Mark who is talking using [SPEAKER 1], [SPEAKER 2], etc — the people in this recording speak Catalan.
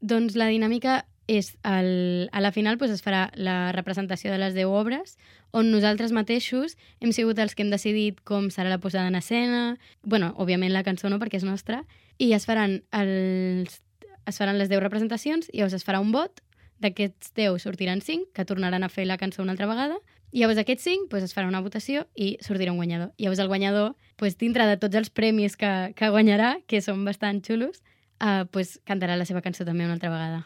[SPEAKER 1] Doncs la dinàmica és, a la final es farà la representació de les 10 obres, on nosaltres mateixos hem sigut els que hem decidit com serà la posada en escena, bueno, òbviament la cançó no, perquè és nostra, i es faran les 10 representacions, i llavors es farà un vot, d'aquests 10 sortiran 5, que tornaran a fer la cançó una altra vegada, i llavors aquests 5 es farà una votació i sortirà un guanyador. I llavors el guanyador, dintre de tots els premis que guanyarà, que són bastant xulos, cantarà la seva cançó també una altra vegada.